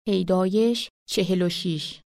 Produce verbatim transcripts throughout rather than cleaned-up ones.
پیدایش چهل و شش.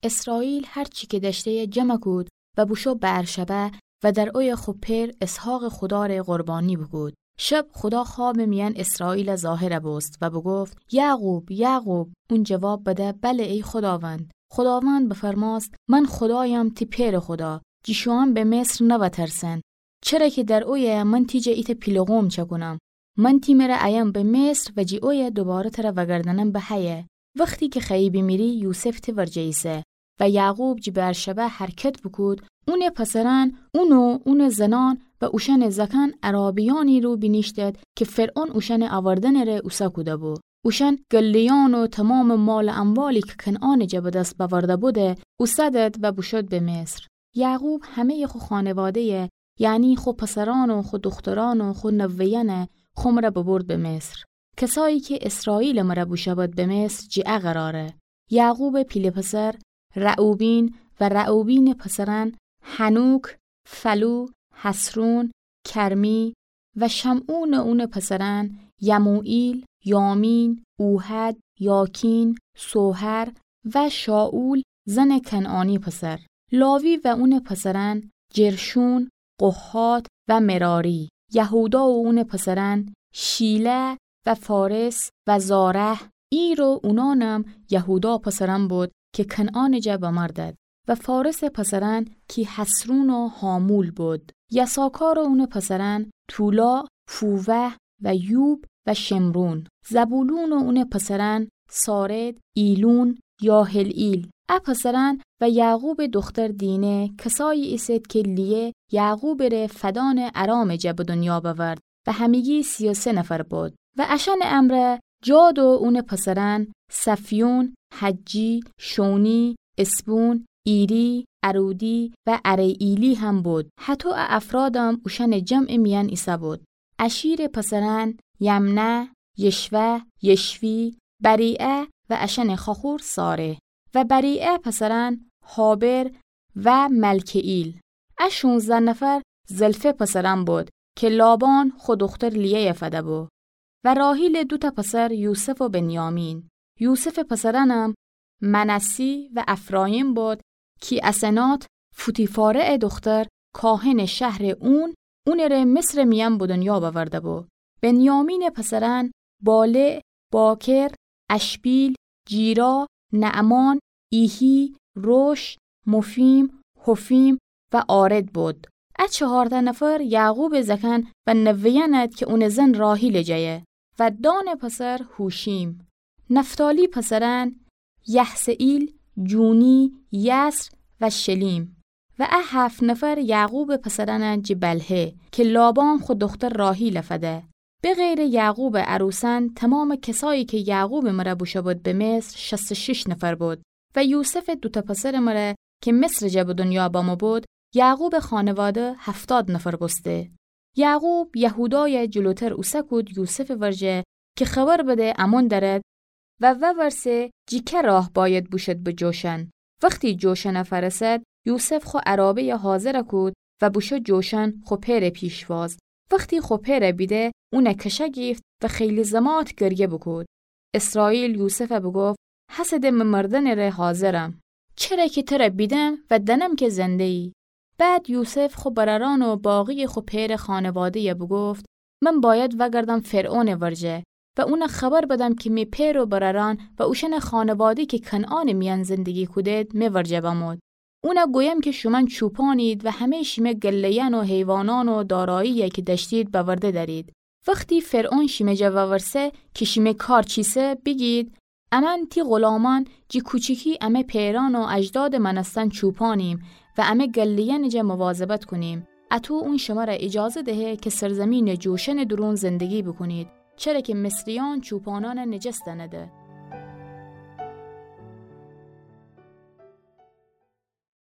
اسرائیل هر چی کی دأشته‌یه جمع کود و بوشو بئرشبه و در اویه خو پئر اسحاقٚ خودا ره قربانی بوکود. شب خودا خوابٚ میأن اسرائیل ظاهر بوست و بوگفت: یعقوب، یعقوب! اون جواب بده: بله، ای خوداوند. خوداوند بفرمأست: من خودایم، تی پئرٚ خودا، جی شوئون به مصر نوأترسن. چره کی در اویه من تی جا ایتأ پیله قوم چأکونم. من تی مره ایم به مصر و جی اویه دوباره تره وأگردأنم به حیه. وختی کی خوأیی بیمیری، یوسف تی ورجه ایسه. و یعقوب جی بئرشبه حرکت بوکود، اونٚ پسرأن، اون و اونٚ زنأن و اوشأنٚ زأکأن عرابیأنی رو بینیشتد کی فرعون اوشأنٚ اوردنٚ ره اوسه کوده‌بو. اوشأن گله‌یأن و تومامٚ مال و اموالی کی کنعانٚ جا به دس بأورده بوده، اوسه دد و بوشد به مصر. یعقوب همه‌یٚ خو خانواده‌یه، یعنی خو پسرأن و خو دوخترأن و خو نوه‌یأنه خو مره ببرد به مصر. کسایی کی اسرائیلٚ مره بوشود به مصر، جی ا قراره: یعقوبٚ پیله پسر رعوبین و رعوبینٚ پسرأن حنوک، فلو، حصرون، کرمی و شمعون و اونٚ پسرأن یموئیل، یامین، اوحد، یاکین، سوحر و شائول زنٚ کنعانی پسر. لاوی و اونٚ پسرأن جرشون، قهات و مراری. یهودا و اونٚ پسرأن شیلح و فارث و زارح. ایر و اونانم یهودا پسرأن بود کی کنعانٚ جا بمردد. و فارثٚ پسرأن کی حصرون و حامول بود. یساکار و اونٚ پسرأن تولا، فووح و یوب و شمرون. زبولون و اونٚ پسرأن سارد، ایلون، یاحلئیل. ا پسرأن و یعقوبٚ دوختر دینه کسایی ایسید کی لیه یعقوبٚ ره فدانٚ ارامٚ جا به دنیا بأورد و همگی سی و سه نفر بود. و اشأنٚ امرأ جاد و اونٚ پسرأن صفیون، حجی، شونی، اسبون، ایری، ارودی و اریئیلی هم بود. هطو ا افرادم اوشأنٚ جمعٚ میأن ایسه بود. اشیرٚ پسرأن یمنه، یشوه، یشوی، بریعه و اشأنٚ خواخور ساره. و بریعه پسرأن هابر و ملکه‌ایل. ا شونزده نفر زلفه پسرأن بود کی لابان خو دوختر لیه‌یه فده‌بو. و راحیلٚ دوتأ پسر یوسف و بنیامین. یوسفٚ پسرأنم منسی و افرایم بود کی اسنات فوتیفاره‌یٚ دوختر کاهنٚ شهرٚ اون، اونٚ ره مصرٚ میأن به دنیا بأورده‌بو. بنیامینٚ پسرأن بالع، باکر، اشبیل، جیرا، نعمان، ایحی، روش، مفیم، حفیم و آرد بود. ا چهارتأ نفر یعقوبٚ زأکأن و نوه‌یأن اد کی اونٚ زن راحیلٚ جایه. و دانٚ پسر هوشیم. نفتالی پسرأن یحسئیل، جونی، یسر و شلیم. و ا هفت نفر یعقوبٚ پسرأن اد جی بلهه کی لابان خو دوختر راحیل فده. به غیرٚ یعقوبٚ عروسأن، تومامٚ کسایی کی یعقوبٚ مره بوشو بود به مصر، شصت و شش نفر بود. و یوسفٚ دوتأ پسرٚ مره کی مصرٚ جا به دنیا بمو بود، یعقوبٚ خانواده هفتاد نفر بوسته. یعقوب یهودای جلوتر اوسه کود یوسفٚ ورجه کی خبر بده امون درد و وورسه جی که راه باید بوشود به جوشن. وختی جوشن فأرسد، یوسف خو عرابه‌ی حاضر کود و بوشو جوشن خو پئرٚ پیشواز. وختی خو پئر بیده، اون کشه گیفت و خیلی زمات گریه بوکود. اسرائیل یوسف بوگفت: هسه ده مه مردنٚ ره حاضرم، چره کی تر بیدم و دأنم کی زنده‌یی. بعد یوسف خو برأرأن و باقیٚ خو پئرٚ خانواده‌ی بوگفت: من باید وأگردم فرعونٚ ورجه و اون خبر بدم کی می پئر و برأرأن و اوشأنٚ خانواده کی کنعانٚ میأن زندگی کودید، می ورجه بمود. اون گویم کی شومأن چوپانید و همه‌یٚ شیمه گله‌یأن و حیوانأن و دارایی‌یی کی دأشتید بأورده دأرید. وختی فرعون شیمه جا وورسه کی شیمه کار چیسه، بیگید: امأن تی غلامأن جی کوچیکی امه پئرأن و اجدادٚ مأنستن چوپانیم و امه گله‌یأنٚ جا مواظبت کونیم. اطو اون شمر ایجازه دهه کی سرزیمینٚ جوشنٚ دورون زندگی بوکونید، چره کی مصریأن چوپانأن نجس دأنده.